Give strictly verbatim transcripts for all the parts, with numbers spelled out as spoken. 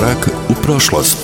Korak u prošlost.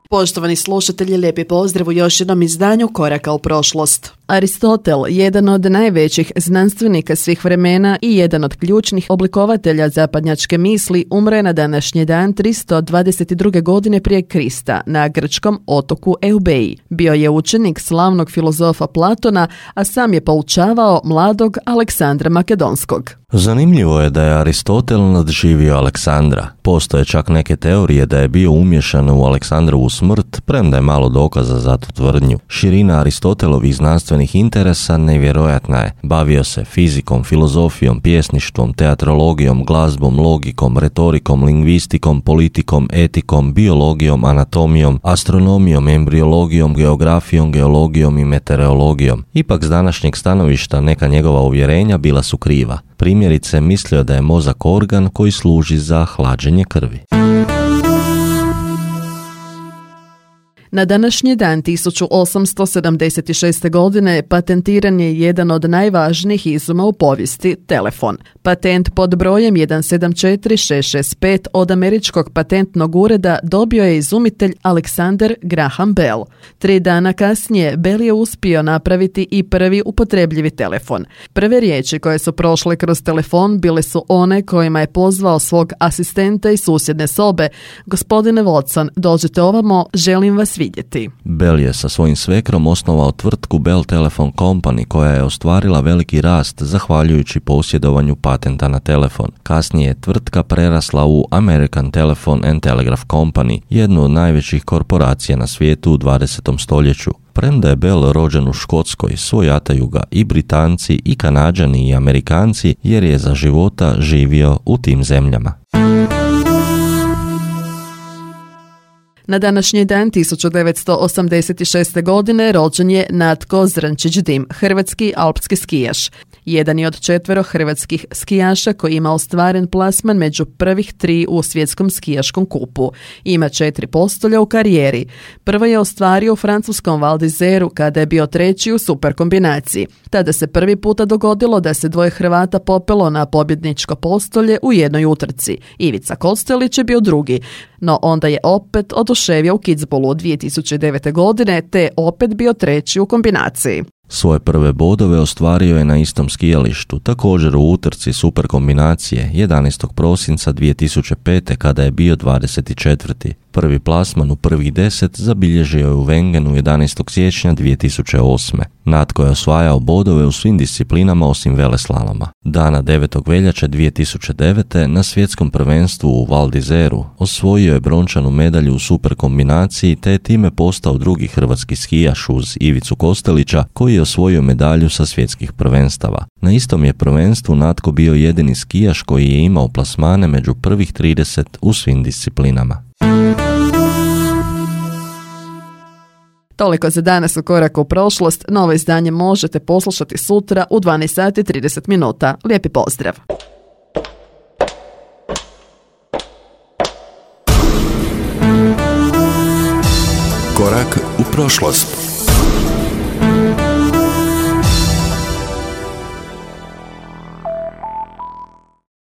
Poštovani slušatelji, lijepi pozdrav u još jednom izdanju Koraka u prošlost. Aristotel, jedan od najvećih znanstvenika svih vremena i jedan od ključnih oblikovatelja zapadnjačke misli, umre na današnji dan tristo dvadeset druge godine prije Krista na grčkom otoku Eubeji. Bio je učenik slavnog filozofa Platona, a sam je poučavao mladog Aleksandra Makedonskog. Zanimljivo je da je Aristotel nadživio Aleksandra. Postoje čak neke teorije da je bio umiješan u Aleksandrovu smrt, premda je malo dokaza za tu tvrdnju. Širina Aristotelovih znanstvenih interesa nevjerojatna je. Bavio se fizikom, filozofijom, pjesništvom, teatrologijom, glazbom, logikom, retorikom, lingvistikom, politikom, etikom, biologijom, anatomijom, astronomijom, embriologijom, geografijom, geologijom i meteorologijom. Ipak s današnjeg stanovišta neka njegova uvjerenja bila su kriva. Primjerice, mislio da je mozak organ koji služi za hlađenje krvi. Na današnji dan tisuću osamsto sedamdeset šeste. godine patentiran je jedan od najvažnijih izuma u povijesti, telefon. Patent pod brojem jedan sedam četiri šest šest pet od američkog patentnog ureda dobio je izumitelj Alexander Graham Bell. Tri dana kasnije Bell je uspio napraviti i prvi upotrebljivi telefon. Prve riječi koje su prošle kroz telefon bile su one kojima je pozvao svog asistenta iz susjedne sobe: "Gospodine Watson, dođite ovamo, želim vas vidjeti." Bell je sa svojim svekrom osnovao tvrtku Bell Telephone Company koja je ostvarila veliki rast zahvaljujući posjedovanju patenta na telefon. Kasnije je tvrtka prerasla u American Telephone and Telegraph Company, jednu od najvećih korporacija na svijetu u dvadesetom stoljeću. Premda je Bell rođen u Škotskoj, svojataju ga i Britanci, i Kanađani, i Amerikanci, jer je za života živio u tim zemljama. Na današnji dan tisuću devetsto osamdeset šeste. godine rođen je Natko Zrnčić-Dim, hrvatski alpski skijaš. Jedan je od četvero hrvatskih skijaša koji ima ostvaren plasman među prvih tri u svjetskom skijaškom kupu. Ima četiri postolja u karijeri. Prvo je ostvario u francuskom Val d'Izeru kada je bio treći u super kombinaciji. Tada se prvi puta dogodilo da se dvoje Hrvata popelo na pobjedničko postolje u jednoj utrci. Ivica Kostelić je bio drugi, no onda je opet oduševio u Kitzbühelu dvije tisuće devete. godine te opet bio treći u kombinaciji. Svoje prve bodove ostvario je na istom skijalištu, također u utrci super kombinacije jedanaestog prosinca dvije tisuće pete. kada je bio dvadeset četvrti. Prvi plasman u prvih deset zabilježio je u Wengenu jedanaestog siječnja dvije tisuće osme. Natko je osvajao bodove u svim disciplinama osim veleslaloma. Dana devetog veljače dvije tisuće devete. na svjetskom prvenstvu u Val d'Izeru osvojio je brončanu medalju u super kombinaciji te je time postao drugi hrvatski skijaš uz Ivicu Kostelića koji je osvojio medalju sa svjetskih prvenstava. Na istom je prvenstvu Natko bio jedini skijaš koji je imao plasmane među prvih trideset u svim disciplinama. Toliko za danas u Koraku u prošlost. Novo izdanje možete poslušati sutra u dvanaest sati i trideset minuta. Lijepi pozdrav! Korak u prošlost.